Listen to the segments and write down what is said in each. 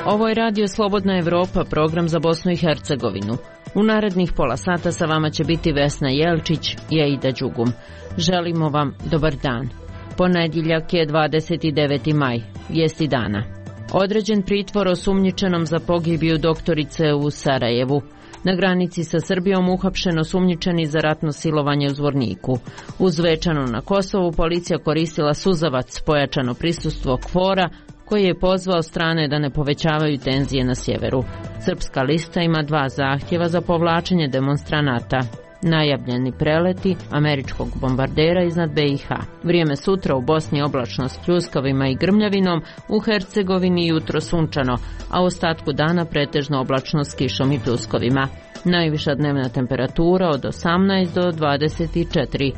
Ovo je Radio Slobodna Evropa, program za Bosnu i Hercegovinu. U narednih pola sata sa vama će biti Vesna Jelčić i Aida Đugum. Želimo vam dobar dan. Ponedjeljak je 29. maj, vijesti dana. Određen pritvor osumnjičenom za pogibiju doktorice u Sarajevu. Na granici sa Srbijom uhapšen osumnjičeni za ratno silovanje u Zvorniku. U Zvečanu na Kosovu policija koristila suzavac, pojačano prisustvo KFOR-a, koji je pozvao strane da ne povećavaju tenzije na sjeveru. Srpska lista ima 2 zahtjeva za povlačenje demonstranata. Najavljeni preleti američkog bombardera iznad BiH. Vrijeme sutra u Bosni oblačno s pljuskavima i grmljavinom, u Hercegovini jutro sunčano, a u ostatku dana pretežno oblačno s kišom i pljuskovima. Najviša dnevna temperatura od 18 do 24,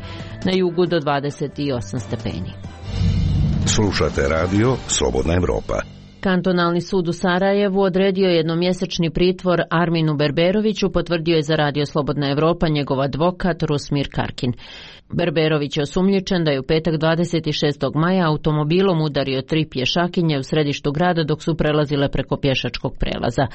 na jugu do 28 stepeni. Slušate radio Slobodna Evropa. Kantonalni sud u Sarajevu odredio jednomjesečni pritvor Arminu Berberoviću, potvrdio je za Radio Slobodna Evropa njegov advokat Rusmir Karkin. Berberović je osumnjičen da je u petak 26. maja automobilom udario 3 pješakinje u središtu grada dok su prelazile preko pješačkog prelaza.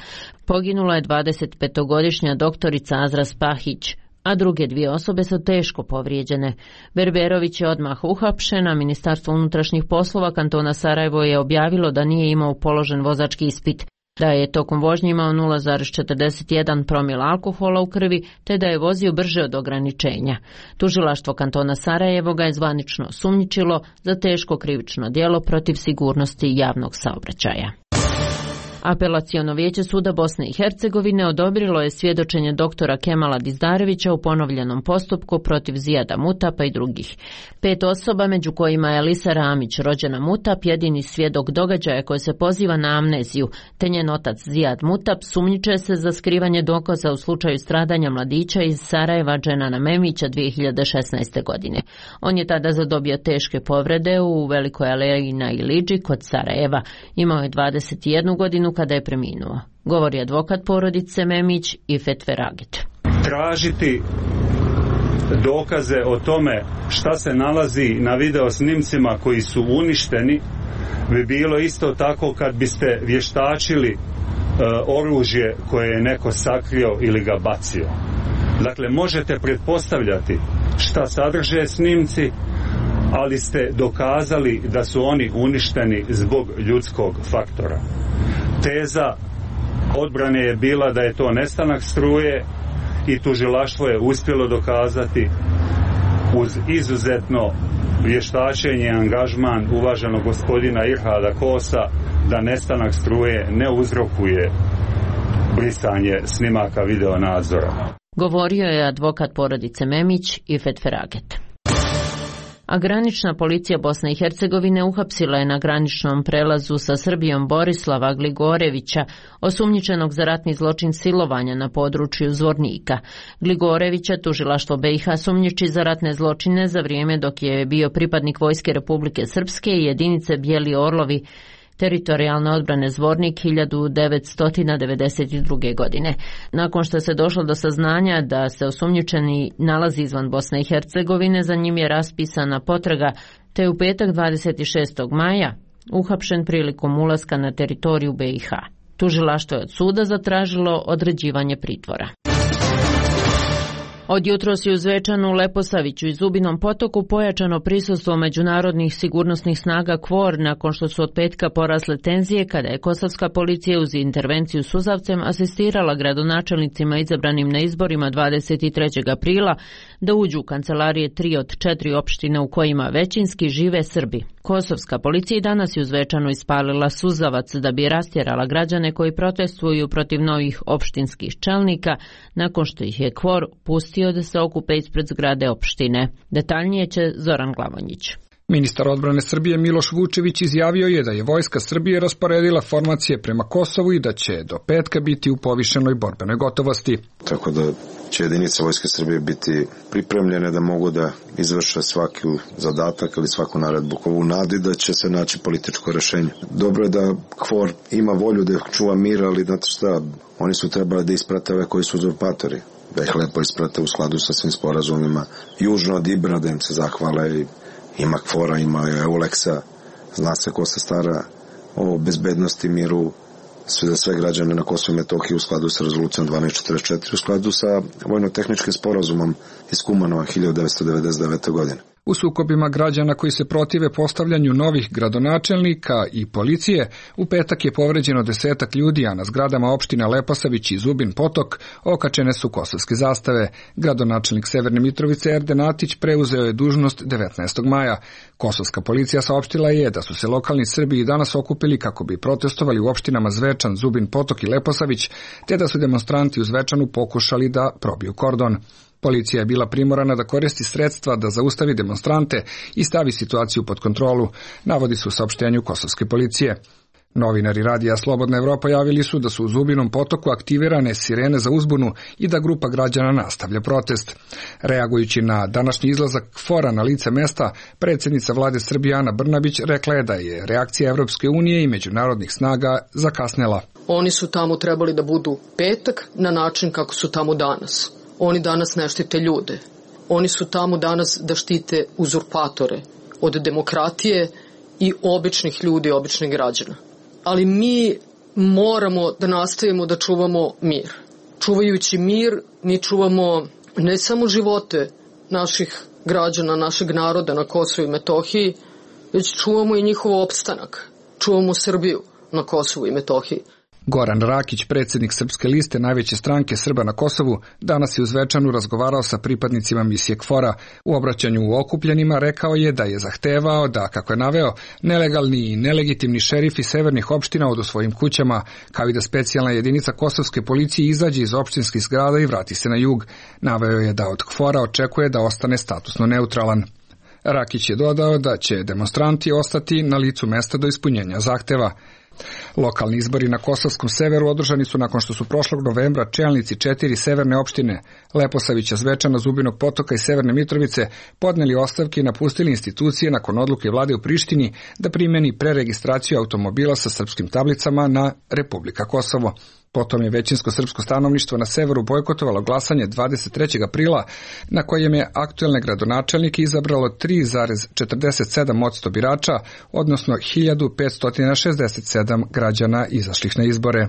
Poginula je 25-godišnja doktorica Azra Spahić, a druge 2 osobe su teško povrijeđene. Berberović je odmah uhapšen, a Ministarstvo unutrašnjih poslova kantona Sarajevo je objavilo da nije imao položen vozački ispit, da je tokom vožnje imao 0,41 promila alkohola u krvi, te da je vozio brže od ograničenja. Tužilaštvo kantona Sarajevo ga je zvanično osumnjičilo za teško krivično djelo protiv sigurnosti javnog saobraćaja. Apelaciono vijeće suda Bosne i Hercegovine odobrilo je svjedočenje doktora Kemala Dizdarevića u ponovljenom postupku protiv Zijada Mutapa i drugih. 5 osoba, među kojima je Alisa Ramić, rođena Mutap, jedini svjedok događaja koji se poziva na amneziju, te njen otac Zijad Mutap sumnjiče se za skrivanje dokaza u slučaju stradanja mladića iz Sarajeva Dženana Memića 2016. godine. On je tada zadobio teške povrede u Velikoj aleji na Iliđi kod Sarajeva. Imao je 21 godinu kada je preminuo. Govori advokat porodice Memić Ifet Feraget. Tražiti dokaze o tome šta se nalazi na video snimcima koji su uništeni bi bilo isto tako kad biste vještačili oružje koje je neko sakrio ili ga bacio. Dakle, možete pretpostavljati šta sadrže snimci, ali ste dokazali da su oni uništeni zbog ljudskog faktora. Teza odbrane je bila da je to nestanak struje i tužilaštvo je uspjelo dokazati uz izuzetno vještačenje i angažman uvaženog gospodina Irhada Kosa da nestanak struje ne uzrokuje brisanje snimaka video nadzora. Govorio je advokat porodice Memić Ifet Feraget. A granična policija Bosne i Hercegovine uhapsila je na graničnom prelazu sa Srbijom Borislava Gligorevića, osumnjičenog za ratni zločin silovanja na području Zvornika. Gligorevića tužilaštvo BiH sumnjiči za ratne zločine za vrijeme dok je bio pripadnik Vojske Republike Srpske i jedinice Bijeli Orlovi teritorijalne odbrane Zvornik 1992. godine. Nakon što se došlo do saznanja da se osumnjičeni nalazi izvan Bosne i Hercegovine, za njim je raspisana potraga, te u petak 26. maja uhapšen prilikom ulaska na teritoriju BiH. Tužilaštvo je od suda zatražilo određivanje pritvora. Od jutros je u Zvečanu, Leposaviću i Zubinom Potoku pojačano prisustvo međunarodnih sigurnosnih snaga KFOR nakon što su od petka porasle tenzije kada je kosovska policija uz intervenciju suzavcem asistirala gradonačelnicima izabranim na izborima 23. aprila da uđu u kancelarije 3 od 4 opštine u kojima većinski žive Srbi. Kosovska policija i danas je u Zvečanu ispalila suzavac da bi rastjerala građane koji protestuju protiv novih opštinskih čelnika nakon što ih je KFOR pustio da se okupe ispred zgrade opštine. Detaljnije će Zoran Glavonjić. Ministar odbrane Srbije Miloš Vučević izjavio je da je Vojska Srbije rasporedila formacije prema Kosovu i da će do petka biti u povišenoj borbenoj gotovosti. Tako da će jedinice Vojske Srbije biti pripremljene da mogu da izvrše svaki zadatak ili svaku naredbu u nadi da će se naći političko rešenje. Dobro je da KFOR ima volju da čuva mir, ali znate šta, oni su trebali da isprate ove koji su uzurpatori. Da ih lepo isprate u skladu sa svim sporazumima. Južno od Ibra da im se zahvale i ima KFOR-a, ima EULEX-a, zna se ko se stara o bezbednosti, miru za sve građane na Kosovu i Metohiji u skladu sa rezolucijom 1244, u skladu sa vojno-tehničkim sporazumom iz Kumanova 1999. godine. U sukobima građana koji se protive postavljanju novih gradonačelnika i policije, u petak je povređeno 10 ljudi, a na zgradama opština Leposavić i Zubin Potok okačene su kosovske zastave. Gradonačelnik Severne Mitrovice Erden Atić preuzeo je dužnost 19. maja. Kosovska policija saopštila je da su se lokalni Srbi i danas okupili kako bi protestovali u opštinama Zvečan, Zubin Potok i Leposavić, te da su demonstranti u Zvečanu pokušali da probiju kordon. Policija je bila primorana da koristi sredstva da zaustavi demonstrante i stavi situaciju pod kontrolu, navodi se u saopštenju kosovske policije. Novinari radija Slobodna Evropa javili su da su u Zubinom Potoku aktivirane sirene za uzbunu i da grupa građana nastavlja protest. Reagujući na današnji izlazak KFOR-a na lice mesta, predsjednica vlade Srbije Ana Brnabić rekla je da je reakcija Evropske unije i međunarodnih snaga zakasnela. Oni su tamo trebali da budu petak na način kako su tamo danas. Oni danas ne štite ljude. Oni su tamo danas da štite uzurpatore od demokratije i običnih ljudi, običnih građana. Ali mi moramo da nastavimo da čuvamo mir. Čuvajući mir, mi čuvamo ne samo živote naših građana, našeg naroda na Kosovu i Metohiji, već čuvamo i njihov opstanak. Čuvamo Srbiju na Kosovu i Metohiji. Goran Rakić, predsjednik Srpske liste, najveće stranke Srba na Kosovu, danas je u Zvečanu razgovarao sa pripadnicima misije KFOR-a. U obraćanju u okupljenima rekao je da je zahtevao da, kako je naveo, nelegalni i nelegitimni šerifi severnih opština odu svojim kućama, kao i da specijalna jedinica kosovske policije izađe iz opštinskih zgrada i vrati se na jug. Naveo je da od KFOR-a očekuje da ostane statusno neutralan. Rakić je dodao da će demonstranti ostati na licu mesta do ispunjenja zahteva. Lokalni izbori na kosovskom severu održani su nakon što su prošlog novembra čelnici 4 severne opštine Leposavića, Zvečana, Zubinog Potoka i Severne Mitrovice podneli ostavke i napustili institucije nakon odluke vlade u Prištini da primeni preregistraciju automobila sa srpskim tablicama na Republika Kosovo. Potom je većinsko srpsko stanovništvo na severu bojkotovalo glasanje 23. aprila, na kojem je aktuelne gradonačelnike izabralo 3,47% birača, odnosno 1567 građana izašlih na izbore.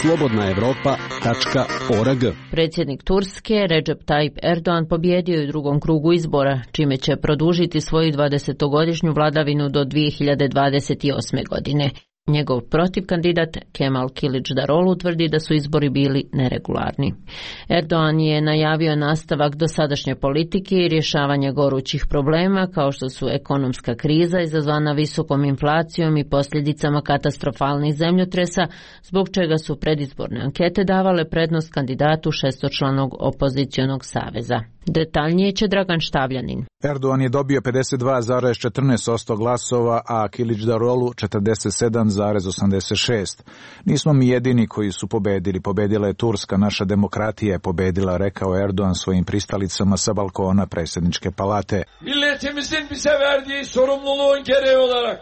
slobodnaevropa.org. Predsjednik Turske Recep Tayyip Erdogan pobjedio je u drugom krugu izbora, čime će produžiti svoju 20-godišnju vladavinu do 2028. godine. Njegov protivkandidat Kemal Kılıçdaroğlu tvrdi da su izbori bili neregularni. Erdogan je najavio nastavak dosadašnje politike i rješavanje gorućih problema kao što su ekonomska kriza izazvana visokom inflacijom i posljedicama katastrofalnih zemljotresa, zbog čega su predizborne ankete davale prednost kandidatu šestočlanog opozicionog saveza. Detaljnije će Dragan Štavljanin. Erdogan je dobio 52,14% glasova, a Kılıçdaroğlu 47,86%. Nismo mi jedini koji su pobedili. Pobedila je Turska, naša demokratija je pobedila, rekao Erdogan svojim pristalicama sa balkona predsjedničke palate. Milletimizin bize verdiği sorumluluğun gereği olarak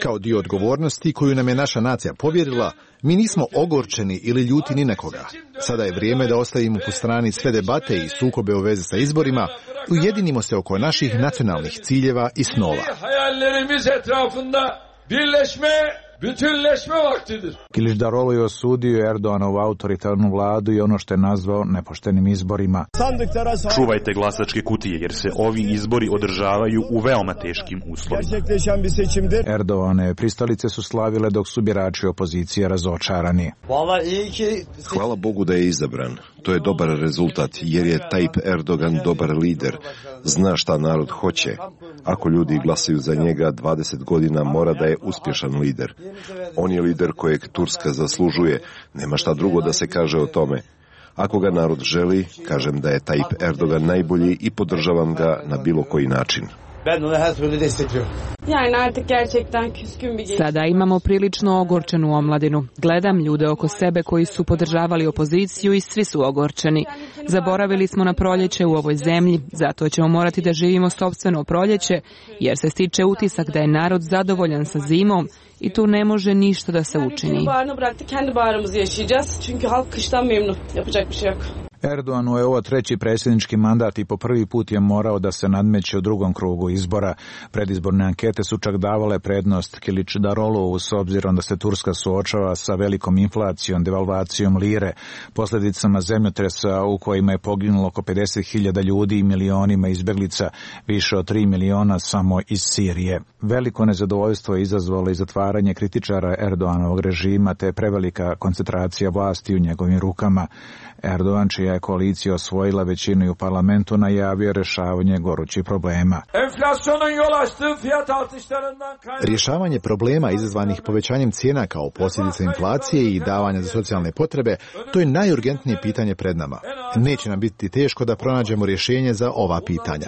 kao dio odgovornosti koju nam je naša nacija povjerila, mi nismo ogorčeni ili ljuti ni na koga. Sada je vrijeme da ostavimo po strani sve debate i sukobe u vezi sa izborima, ujedinimo se oko naših nacionalnih ciljeva i snova. Bütünleşme vaktidir. Kılıçdaroğlu je osudio Erdoganovu autoritarnu vladu i ono što je nazvao nepoštenim izborima. Čuvajte glasačke kutije jer se ovi izbori održavaju u veoma teškim uslovima. Erdoganove pristalice su slavile dok su birači opozicije razočarani. Hvala Bogu da je izabran. To je dobar rezultat jer je Tayyip Erdogan dobar lider. Zna šta narod hoće. Ako ljudi glasaju za njega 20 godina mora da je uspješan lider. On je lider kojeg Turska zaslužuje. Nema šta drugo da se kaže o tome. Ako ga narod želi, kažem da je Tayyip Erdogan najbolji i podržavam ga na bilo koji način. Sada imamo prilično ogorčenu omladinu. Gledam ljude oko sebe koji su podržavali opoziciju i svi su ogorčeni. Zaboravili smo na proljeće u ovoj zemlji, zato ćemo morati da živimo sopstveno proljeće, jer se stiče utisak da je narod zadovoljan sa zimom i tu ne može ništa da se učini. Erdoganu je ovo treći predsjednički mandat i po prvi put je morao da se nadmeće u drugom krugu izbora. Predizborne ankete su čak davale prednost Kilićdarovu s obzirom da se Turska suočava sa velikom inflacijom, devalvacijom lire, posljedicama zemljotresa u kojima je poginulo oko 50.000 ljudi i milionima izbjeglica, više od 3 miliona samo iz Sirije. Veliko nezadovoljstvo je izazvalo i zatvaranje kritičara Erdoganovog režima te prevelika koncentracija vlasti u njegovim rukama. Erdogan, čija je koalicija osvojila većinu i u parlamentu, najavio rješavanje gorućih problema. Rješavanje problema izazvanih povećanjem cijena kao posljedica inflacije i davanja za socijalne potrebe, to je najurgentnije pitanje pred nama. Neće nam biti teško da pronađemo rješenje za ova pitanja.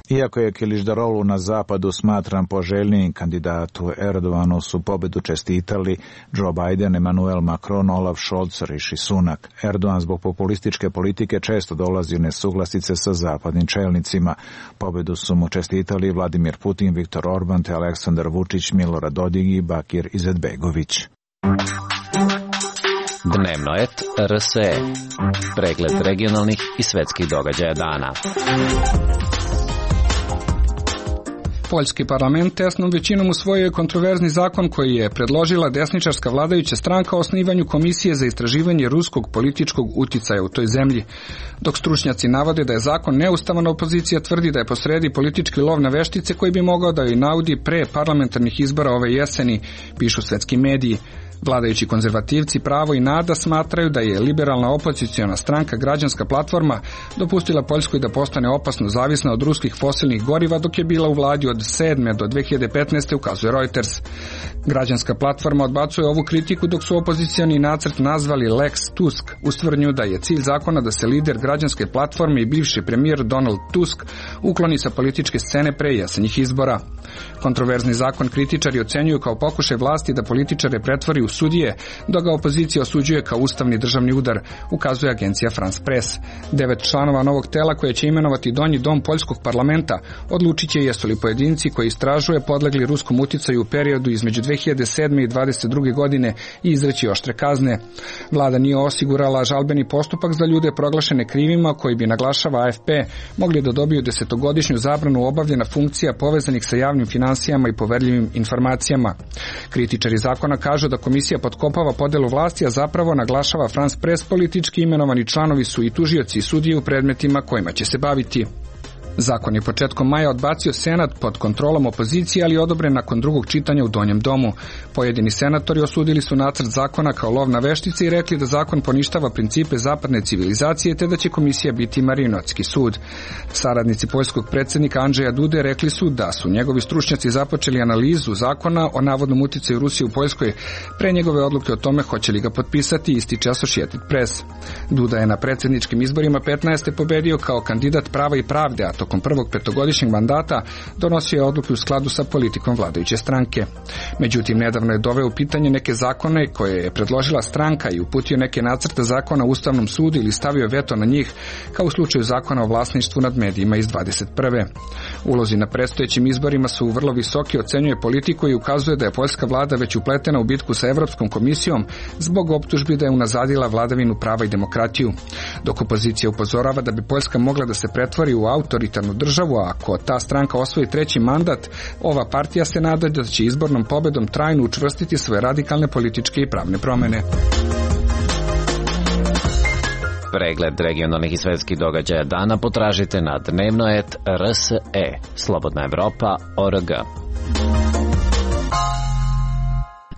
Iako je Kilićdaroglu na zapadu smatran poželjnijim kandidatu Erdoganu, su pobedu čestitali Joe Biden, Emmanuel Macron, Olaf Scholz, Rishi Sunak. Erdogan zbog populističke politike često dolazi u nesuglasice sa zapadnim čelnicima. Pobedu su mu čestitali Vladimir Putin, Viktor Orban te Aleksandar Vučić, Milorad Dodik i Bakir Izetbegović. Dnevnoet RSE. Pregled regionalnih i svetskih događaja dana. Poljski parlament tesnom većinom usvojio je kontroverzni zakon koji je predložila desničarska vladajuća stranka o osnivanju komisije za istraživanje ruskog političkog uticaja u toj zemlji. Dok stručnjaci navode da je zakon neustavan, opozicija tvrdi da je posredi politički lov na veštice koji bi mogao da joj naudi pre parlamentarnih izbora ove jeseni, pišu svetski mediji. Vladajući konzervativci Pravo i Nada smatraju da je liberalna opoziciona stranka Građanska platforma dopustila Poljskoj da postane opasno zavisna od ruskih fosilnih goriva dok je bila u vladi od 2007. do 2015. ukazuje Reuters. Građanska platforma odbacuje ovu kritiku dok su opozicioni nacrt nazvali Lex Tusk uz tvrdnju da je cilj zakona da se lider Građanske platforme i bivši premijer Donald Tusk ukloni sa političke scene pre jesenjih izbora. Kontroverzni zakon kritičari ocenjuju kao pokušaj vlasti da političare pretvori u sudije, dok ga opozicija osuđuje kao ustavni državni udar, ukazuje agencija France Press. 9 članova novog tela koje će imenovati donji dom poljskog parlamenta odlučit će jesu li pojedinci koji istražuje podlegli ruskom uticaju u periodu između 2007. i 2022. godine i izreći oštre kazne. Vlada nije osigurala žalbeni postupak za ljude proglašene krivima koji bi, naglašava AFP, mogli da dobiju 10-godišnju zabranu obavljena funkcija povezanih sa javnim finansijama i poverljivim informacijama. Kritičari zakona kažu da komisija potkopava podelu vlasti, a zapravo, naglašava France Press, politički imenovani članovi su i tužioci i sudije u predmetima kojima će se baviti. Zakon je početkom maja odbacio Senat pod kontrolom opozicije, ali je odobren nakon drugog čitanja u Donjem domu. Pojedini senatori osudili su nacrt zakona kao lov na veštice i rekli da zakon poništava principe zapadne civilizacije te da će komisija biti marionetski sud. Saradnici poljskog predsjednika Andžeja Dude rekli su da su njegovi stručnjaci započeli analizu zakona o navodnom uticaju Rusije u Poljskoj pre njegove odluke o tome hoće li ga potpisati, ističe Associated Press. Duda je na predsjedničkim izborima 15. pobedio kao kandidat Prava i pravde, a tokom prvog petogodišnjeg mandata donosio je odluke u skladu sa politikom vladajuće stranke. Međutim, nedavno je doveo u pitanje neke zakone koje je predložila stranka i uputio neke nacrte zakona u Ustavnom sudu ili stavio veto na njih, kao u slučaju zakona o vlasništvu nad medijima iz 21. Ulozi na predstojećim izborima su vrlo visoki, ocenjuje politiku i ukazuje da je poljska vlada već upletena u bitku sa Evropskom komisijom zbog optužbi da je unazadila vladavinu prava i demokratiju. Dok opozicija upozorava da bi Poljska mogla da se pretvori u autoritarnu državu, a ako ta stranka osvoji treći mandat, ova partija se nada da će izbornom pobedom trajno učvrstiti svoje radikalne političke i pravne promjene. Pregled regionalnih i svetskih događaja dana potražite na Dnevnoet RSE, Slobodna Evropa.org.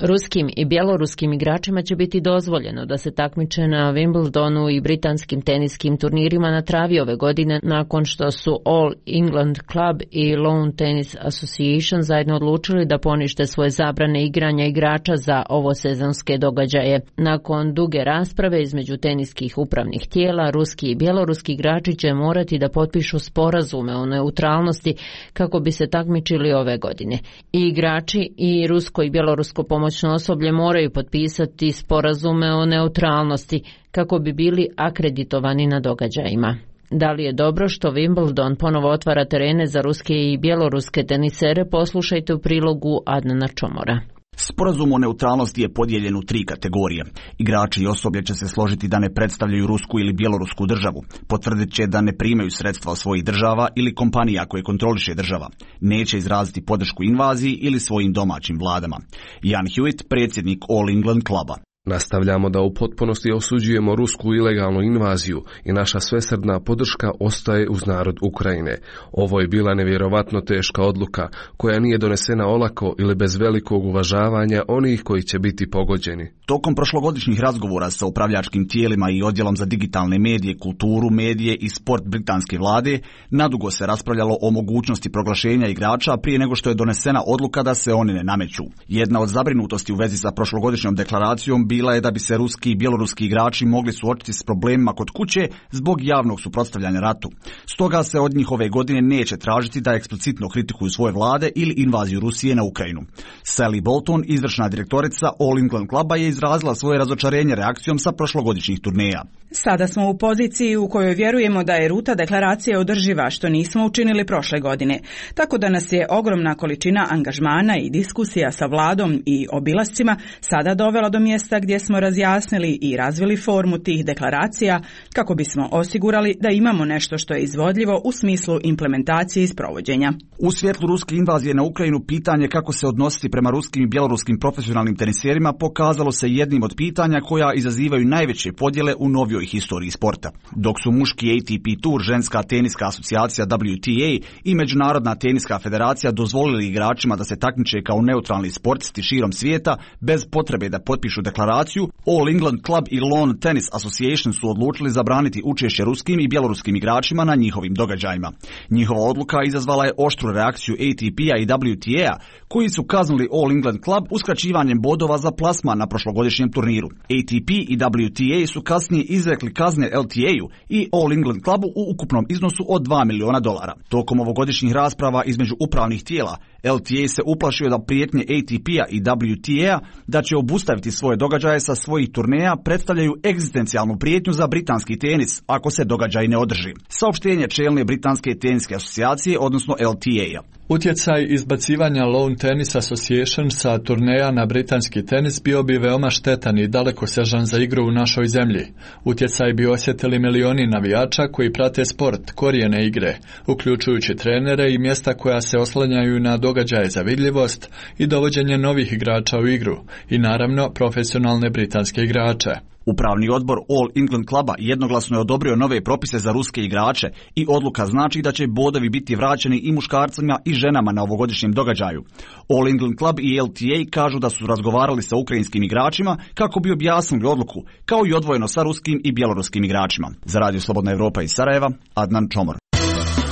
Ruskim i bjeloruskim igračima će biti dozvoljeno da se takmiče na Wimbledonu i britanskim teniskim turnirima na travi ove godine nakon što su All England Club i Lawn Tennis Association zajedno odlučili da ponište svoje zabrane igranja igrača za ovo sezonske događaje. Nakon duge rasprave između teniskih upravnih tijela, ruski i bjeloruski igrači će morati da potpišu sporazume o neutralnosti kako bi se takmičili ove godine. I igrači i rusko i bjelorusko pomoćno osoblje moraju potpisati sporazume o neutralnosti kako bi bili akreditovani na događajima. Da li je dobro što Wimbledon ponovo otvara terene za ruske i bjeloruske tenisere, poslušajte u prilogu Adnana Čomora. Sporazum o neutralnosti je podijeljen u 3 kategorije. Igrači i osoblje će se složiti da ne predstavljaju rusku ili bjelorusku državu. Potvrdit će da ne primaju sredstva od svojih država ili kompanija koje kontroliše država. Neće izraziti podršku invaziji ili svojim domaćim vladama. Jan Hewitt, predsjednik All England kluba. Nastavljamo da u potpunosti osuđujemo rusku ilegalnu invaziju i naša svesrdna podrška ostaje uz narod Ukrajine. Ovo je bila nevjerovatno teška odluka koja nije donesena olako ili bez velikog uvažavanja onih koji će biti pogođeni. Tokom prošlogodišnjih razgovora sa upravljačkim tijelima i odjelom za digitalne medije, kulturu, medije i sport britanske vlade, nadugo se raspravljalo o mogućnosti proglašenja igrača prije nego što je donesena odluka da se oni ne nameću. Jedna od zabrinutosti u vezi sa prošlogodišnjom deklaracijom bila je da bi se ruski i bjeloruski igrači mogli suočiti s problemima kod kuće zbog javnog suprotstavljanja ratu. Stoga se od njih ove godine neće tražiti da eksplicitno kritikuju svoje vlade ili invaziju Rusije na Ukrajinu. Sally Bolton, izvršna direktorica All England kluba, je izrazila svoje razočarenje reakcijom sa prošlogodišnjih turneja. Sada smo u poziciji u kojoj vjerujemo da je ruta deklaracije održiva, što nismo učinili prošle godine. Tako da nas je ogromna količina angažmana i diskusija sa vladom i obilascima sada dovela do mjesta gdje smo razjasnili i razvili formu tih deklaracija kako bismo osigurali da imamo nešto što je izvodljivo u smislu implementacije i sprovođenja. U svjetlu ruske invazije na Ukrajinu pitanje kako se odnositi prema ruskim i bjeloruskim profesionalnim teniserima pokazalo se jednim od pitanja koja izazivaju najveće podjele u novijoj historiji sporta. Dok su muški ATP Tour, ženska teniska asocijacija WTA i Međunarodna teniska federacija dozvolili igračima da se takmiče kao neutralni sportisti širom svijeta bez potrebe da potpišu deklaraciju, All England Club i Lawn Tennis Association su odlučili zabraniti učešće ruskim i bjeloruskim igračima na njihovim događajima. Njihova odluka izazvala je oštru reakciju ATP-a i WTA, koji su kaznili All England Club uskraćivanjem bodova za plasman na prošlogodišnjem turniru. ATP i WTA su kasnije izrekli kazne LTA-u i All England Clubu u ukupnom iznosu od $2 miliona. Tokom ovogodišnjih rasprava između upravnih tijela, LTA se uplašio da prijetnje ATP-a i WTA da će obustaviti svoje događaje sa svojih turneja predstavljaju egzistencijalnu prijetnju za britanski tenis ako se događaj ne održi. Saopštenje čelne britanske teniske asocijacije, odnosno LTA-a. Utjecaj izbacivanja Lawn Tennis Association sa turneja na britanski tenis bio bi veoma štetan i dalekosežan za igru u našoj zemlji. Utjecaj bi osjetili milioni navijača koji prate sport, korijene igre, uključujući trenere i mjesta koja se oslanjaju na događaje za vidljivost i dovođenje novih igrača u igru i naravno profesionalne britanske igrače. Upravni odbor All England kluba jednoglasno je odobrio nove propise za ruske igrače i odluka znači da će bodovi biti vraćeni i muškarcima i ženama na ovogodišnjem događaju. All England Club i LTA kažu da su razgovarali sa ukrajinskim igračima kako bi objasnili odluku, kao i odvojeno sa ruskim i bjeloruskim igračima. Za Radio Slobodna Evropa iz Sarajeva, Adnan Čomor.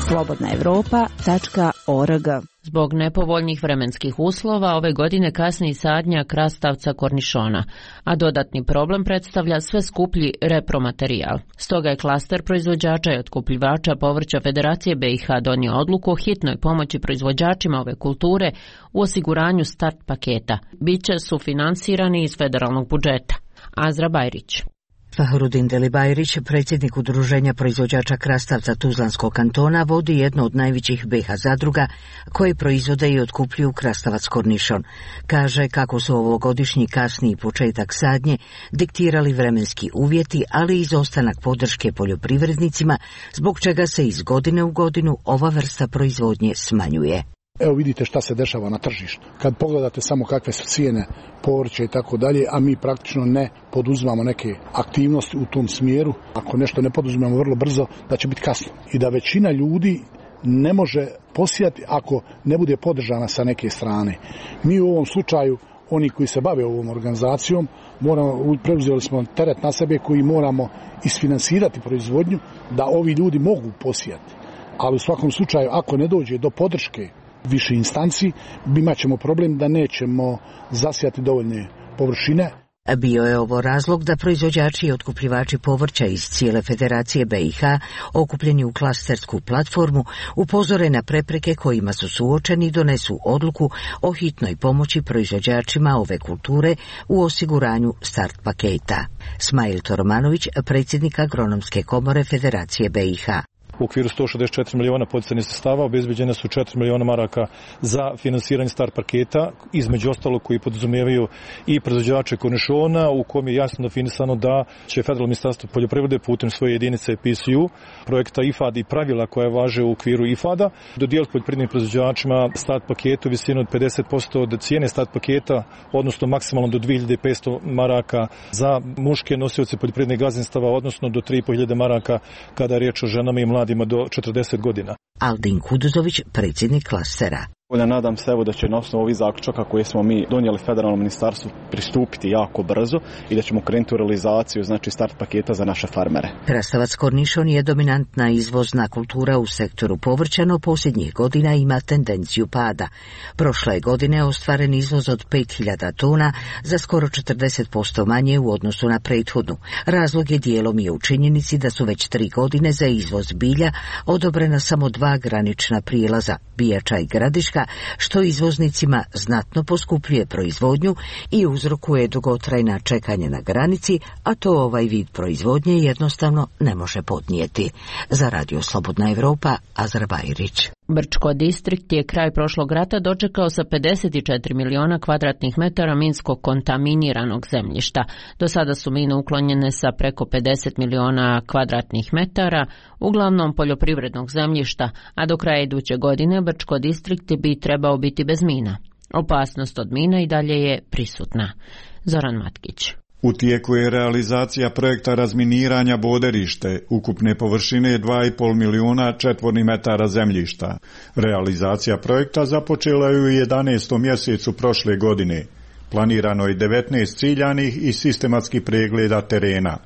slobodnaevropa.org. Zbog nepovoljnih vremenskih uslova ove godine kasni sadnja krastavca kornišona, a dodatni problem predstavlja sve skuplji repromaterijal. Stoga je klaster proizvođača i otkupljivača povrća Federacije BiH donio odluku o hitnoj pomoći proizvođačima ove kulture u osiguranju start paketa. Biće sufinansirani iz federalnog budžeta. Azra Bajrić. Fahrudin Delibajrić, predsjednik Udruženja proizvođača krastavca Tuzlanskog kantona, vodi jedno od najvećih BiH zadruga koje proizvode i otkupljuju krastavac kornišon. Kaže kako su ovogodišnji kasniji početak sadnje diktirali vremenski uvjeti, ali i izostanak podrške poljoprivrednicima, zbog čega se iz godine u godinu ova vrsta proizvodnje smanjuje. Evo vidite šta se dešava na tržištu. Kad pogledate samo kakve su cijene povrća i tako dalje, a mi praktično ne poduzimamo neke aktivnosti u tom smjeru, ako nešto ne poduzimamo vrlo brzo, da će biti kasno. I da većina ljudi ne može posijati ako ne bude podržana sa neke strane. Mi u ovom slučaju, oni koji se bave ovom organizacijom, preuzeli smo teret na sebe koji moramo isfinansirati proizvodnju da ovi ljudi mogu posijati. Ali u svakom slučaju, ako ne dođe do podrške više instanci, imat ćemo problem da nećemo zasijati dovoljne površine. Bio je ovo razlog da proizvođači i otkupljivači povrća iz cijele Federacije BiH, okupljeni u klastersku platformu, upozore na prepreke kojima su suočeni i donesu odluku o hitnoj pomoći proizvođačima ove kulture u osiguranju start paketa. Smail Toromanović, predsjednik Agronomske komore Federacije BiH. U okviru 164 miliona poticajnih sredstava obezbeđene su 4 miliona maraka za finansiranje start paketa, između ostalog koji podrazumijevaju i proizvođače kornišona, u kom je jasno definisano da će Federalno ministarstvo poljoprivrede putem svoje jedinice PSU, projekta IFAD i pravila koja važe u okviru IFAD-a, dodijeliti poljoprivrednim proizvođačima start paketu visinu od 50% od cijene start paketa, odnosno maksimalno do 2500 maraka za muške nosioce poljoprivrednih gazdinstava, odnosno do 3500 maraka kada je riječ o ženama i mladima do 40 godina. Aldin Kuduzović, predsjednik klastera. Nadam se da će na osnovu ovih zaključaka koje smo mi donijeli Federalnom ministarstvu pristupiti jako brzo i da ćemo krenuti u realizaciju, znači start paketa za naše farmere. Krastavac kornišon je dominantna izvozna kultura u sektoru povrća, no posljednjih godina ima tendenciju pada. Prošle godine ostvaren izvoz od 5000 tona, za skoro 40% manje u odnosu na prethodnu. Razlog je dijelom i u činjenici da su već 3 godine za izvoz bilja odobrena samo 2 granična prijelaza, Bijača i Gradiška, što izvoznicima znatno poskupljuje proizvodnju i uzrokuje dugotrajna čekanja na granici, a to ovaj vid proizvodnje jednostavno ne može podnijeti. Za Radio Slobodna Evropa, Azra Bajrić. Brčko distrikt je kraj prošlog rata dočekao sa 54 miliona kvadratnih metara minsko kontaminiranog zemljišta. Do sada su mine uklonjene sa preko 50 miliona kvadratnih metara, uglavnom poljoprivrednog zemljišta, a do kraja iduće godine Brčko distrikt bi trebao biti bez mina. Opasnost od mina i dalje je prisutna. Zoran Matkić. U tijeku je realizacija projekta razminiranja Boderište, ukupne površine 2,5 milijuna četvornih metara zemljišta. Realizacija projekta započela je u 11. mjesecu prošle godine. Planirano je 19 ciljanih i sistematskih pregleda terena.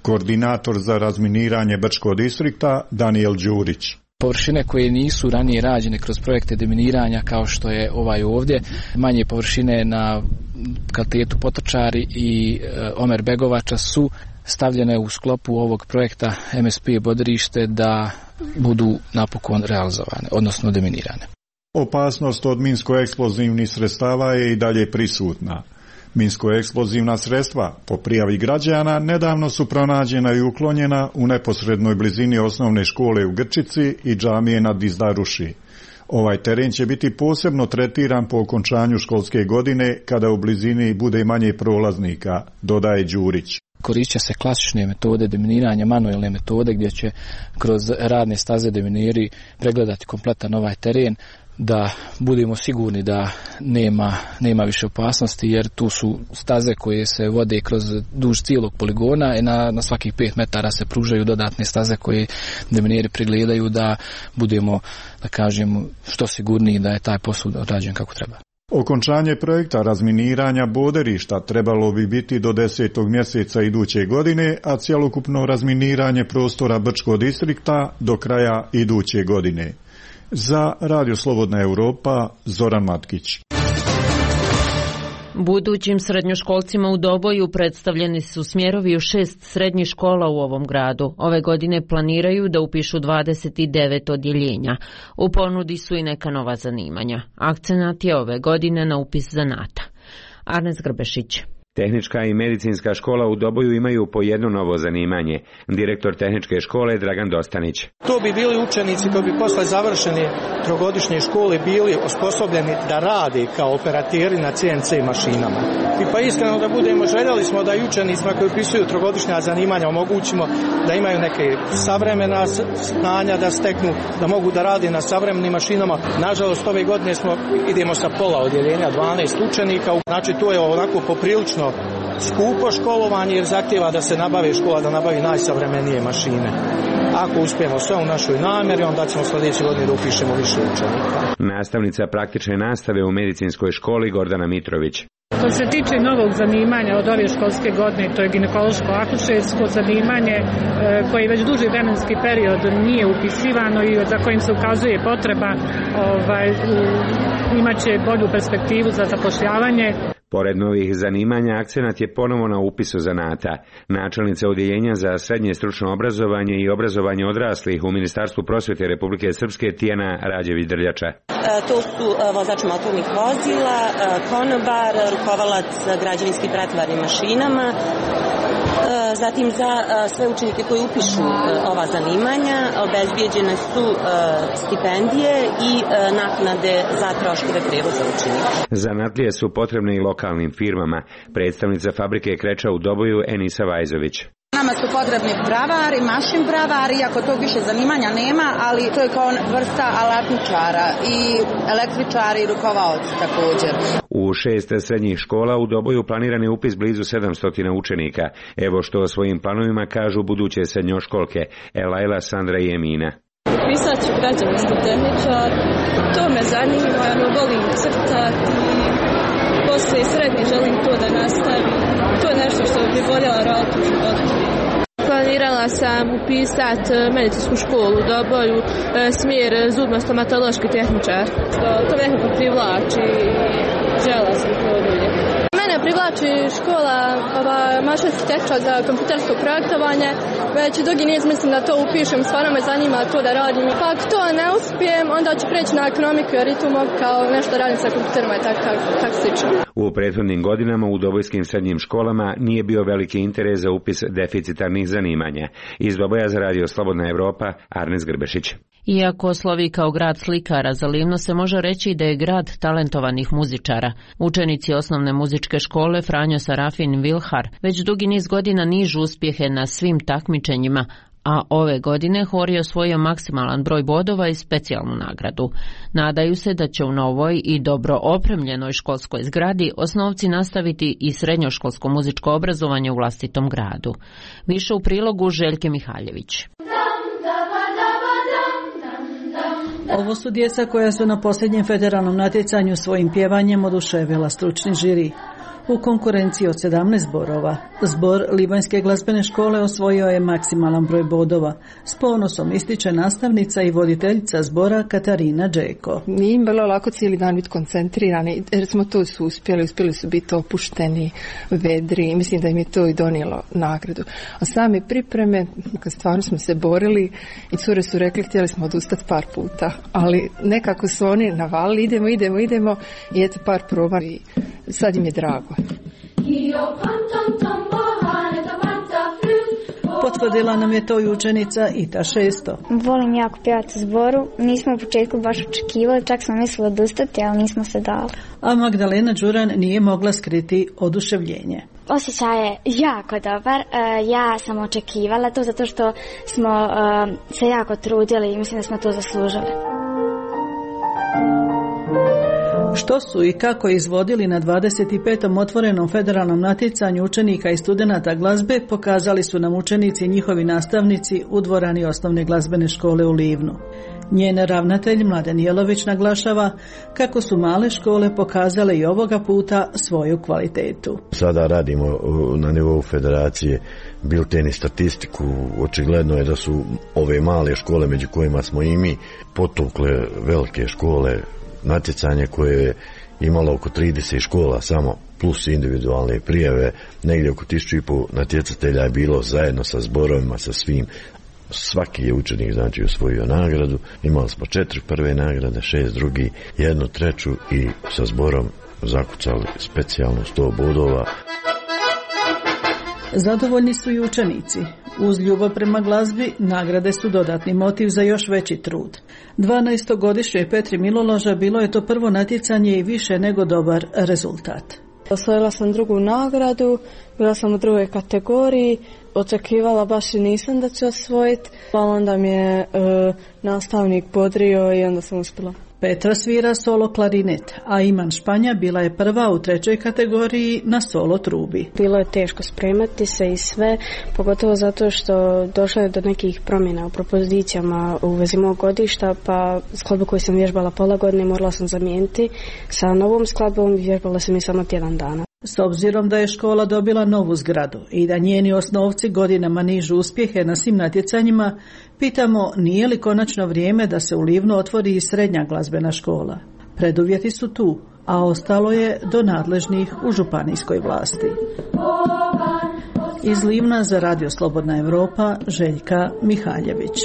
Koordinator za razminiranje Brčkog distrikta Daniel Đurić. Površine koje nisu ranije rađene kroz projekte deminiranja kao što je ovaj ovdje, manje površine na kalitetu Potočari i Omer Begovača su stavljene u sklopu ovog projekta MSP Boderište da budu napokon realizovane, odnosno deminirane. Opasnost od minsko-eksplozivnih sredstava je i dalje prisutna. Minsko-eksplozivna sredstva, po prijavi građana, nedavno su pronađena i uklonjena u neposrednoj blizini osnovne škole u Grčici i džamije na Dizdaruši. Ovaj teren će biti posebno tretiran po okončanju školske godine, kada u blizini bude manje prolaznika, dodaje Đurić. Koristit se klasične metode deminiranja, manuelne metode gdje će kroz radne staze demineri pregledati kompletan ovaj teren, da budemo sigurni da nema više opasnosti, jer tu su staze koje se vode kroz duž cijelog poligona i na svakih 5 metara se pružaju dodatne staze koje demineri pregledaju da budemo, da kažemo, što sigurniji da je taj posao odrađen kako treba. Okončanje projekta razminiranja Boderišta trebalo bi biti do 10. mjeseca iduće godine, a cjelokupno razminiranje prostora Brčkog distrikta do kraja iduće godine. Za Radio Slobodna Europa, Zoran Matkić. Budućim srednjoškolcima u Doboju predstavljeni su smjerovi u 6 srednjih škola u ovom gradu. Ove godine planiraju da upišu 29 odjeljenja. U ponudi su i neka nova zanimanja. Akcenat je ove godine na upis zanata. Arnes Grbešić. Tehnička i medicinska škola u Doboju imaju po jedno novo zanimanje. Direktor tehničke škole Dragan Dostanić. To bi bili učenici koji bi posle završene trogodišnje škole bili osposobljeni da rade kao operateri na CNC mašinama. I pa iskreno da budemo, željeli smo da i učenicima koji upisuju trogodišnja zanimanja omogućimo da imaju neke savremena znanja da steknu, da mogu da rade na savremenim mašinama. Nažalost, ove godine idemo sa pola odjeljenja, 12 učenika. Znači, to je onako poprilično skupo školovanje jer zahtjeva da se nabave škola, da nabavi najsavremenije mašine. Ako uspijemo sve u našoj namjeri, onda ćemo sljedeće godine da upišemo više učenika. Nastavnica praktične nastave u medicinskoj školi Gordana Mitrović. Što se tiče novog zanimanja od ove školske godine, to je ginekološko-akušersko zanimanje koje već duži vremenski period nije upisivano i za kojim se ukazuje potreba, imaće bolju perspektivu za zapošljavanje. Pored novih zanimanja, akcenat je ponovo na upisu zanata. Načelnica odjeljenja za srednje stručno obrazovanje i obrazovanje odraslih u Ministarstvu prosvjete Republike Srpske Tijana Rađević-Drljača. To su vozač motornih vozila, konobar, rukovalac građevinskim pretvarnim mašinama, Zatim za sve učenike koji upišu ova zanimanja obezbijeđene su stipendije i naknade za troškove prevoza učenika. Zanatlije su potrebne i lokalnim firmama. Predstavnica fabrike kreča u Doboju Enisa Vajzović. Nama su potrebni bravari, mašin bravari, iako tog više zanimanja nema, ali to je kao vrsta alatničara i električari i rukovaoci također. U 6 srednjih škola u Doboju planiran je upis blizu 700 učenika. Evo što o svojim planovima kažu buduće srednjoškolke Elajla, Sandra i Emina. Upisat ću građevinski tehničar, to me zanima, volim crtati i poslije srednje želim to da nastavim. To je nešto što bih voljela raditi u životu. Planirala sam upisati medicinsku školu u Doboju, smjer zubno-stomatološki tehničar. To nekako privlači i žela sam to dulje. Mene privlači škola mašinski tehničar za kompjutersko projektovanje. Već dugi niz mislim da to upišem, stvarno me zanima to da radim. Pa ako to ne uspijem, onda ću preći na ekonomiku jer i tu mogu kao nešto radim sa kompjuterima i tako slično. U prethodnim godinama u dobojskim srednjim školama nije bio veliki interes za upis deficitarnih zanimanja. Iz Doboja za radio Slobodna Evropa, Arnes Grbešić. Iako slovi kao grad slikara, za Livno se može reći da je grad talentovanih muzičara. Učenici osnovne muzičke škole Franjo Sarafin Vilhar već dugi niz godina nižu uspjehe na svim takmičenjima, a ove godine hor je osvojio maksimalan broj bodova i specijalnu nagradu. Nadaju se da će u novoj i dobro opremljenoj školskoj zgradi osnovci nastaviti i srednjoškolsko muzičko obrazovanje u vlastitom gradu. Više u prilogu Željke Mihaljević. Ovo su djeca koja su na posljednjem federalnom natjecanju svojim pjevanjem oduševila stručni žiri. U konkurenciji od 17 zborova, zbor Libanjske glazbene škole osvojio je maksimalan broj bodova. S ponosom ističe nastavnica i voditeljica zbora Katarina Džeko. Nije im bilo lako cijeli dan biti koncentrirani, jer smo to su uspjeli su biti opušteni, vedri i mislim da im je to i donijelo nagradu. A same pripreme, stvarno smo se borili i cure su rekli htjeli smo odustati par puta, ali nekako su oni navalili, idemo i eto par proba i sad im je drago. Potvrdila nam je to i učenica Ita 600. Volim jako pjevati u zboru. Nismo u početku baš očekivali, čak smo mislili odustati, ali nismo se dali. A Magdalena Đuran nije mogla skriti oduševljenje. Osjećaj je jako dobar. Ja sam očekivala to zato što smo se jako trudili i mislim da smo to zaslužili. Što su i kako izvodili na 25. otvorenom federalnom natjecanju učenika i studenata glazbe pokazali su nam učenici i njihovi nastavnici u dvorani osnovne glazbene škole u Livnu. Njen ravnatelj Mladen Jelović naglašava kako su male škole pokazale i ovoga puta svoju kvalitetu. Sada radimo na nivou federacije bilten i statistiku. Očigledno je da su ove male škole među kojima smo i mi potukle velike škole. Natjecanje koje je imalo oko 30 škola samo plus individualne prijave, negdje oko 1500 natjecatelja je bilo zajedno sa zborovima, sa svim. Svaki je učenik znači osvojio nagradu. Imali smo 4 prve nagrade, 6 drugi, 1 treću i sa zborom zakucali specijalno 100 bodova. Zadovoljni su i učenici. Uz ljubav prema glazbi, nagrade su dodatni motiv za još veći trud. 12-godišnjoj Petri Miloloža bilo je to prvo natjecanje i više nego dobar rezultat. Osvojila sam drugu nagradu, bila sam u drugoj kategoriji, očekivala baš i nisam da ću osvojiti, ali onda mi je nastavnik bodrio i onda sam uspjela. Petra svira solo klarinet, a Iman Španja bila je prva u trećoj kategoriji na solo trubi. Bilo je teško spremati se i sve, pogotovo zato što došlo je do nekih promjena u propozicijama u vezi mog godišta, pa skladbu koju sam vježbala pola godine morala sam zamijeniti sa novom skladbom, vježbala sam je samo tjedan dana. S obzirom da je škola dobila novu zgradu i da njeni osnovci godinama nižu uspjehe na svim natjecanjima, pitamo nije li konačno vrijeme da se u Livnu otvori i srednja glazbena škola. Preduvjeti su tu, a ostalo je do nadležnih u županijskoj vlasti. Iz Livna za radio Slobodna Evropa, Željka Mihaljević.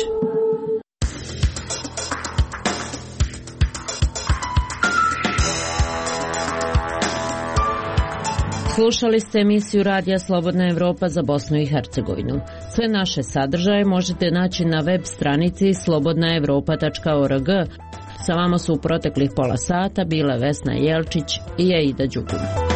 Slušali ste emisiju Radija Slobodna Evropa za Bosnu i Hercegovinu. Sve naše sadržaje možete naći na web stranici slobodnaevropa.org. Sa vama su u proteklih pola sata bile Vesna Jelčić i Aida Đugum.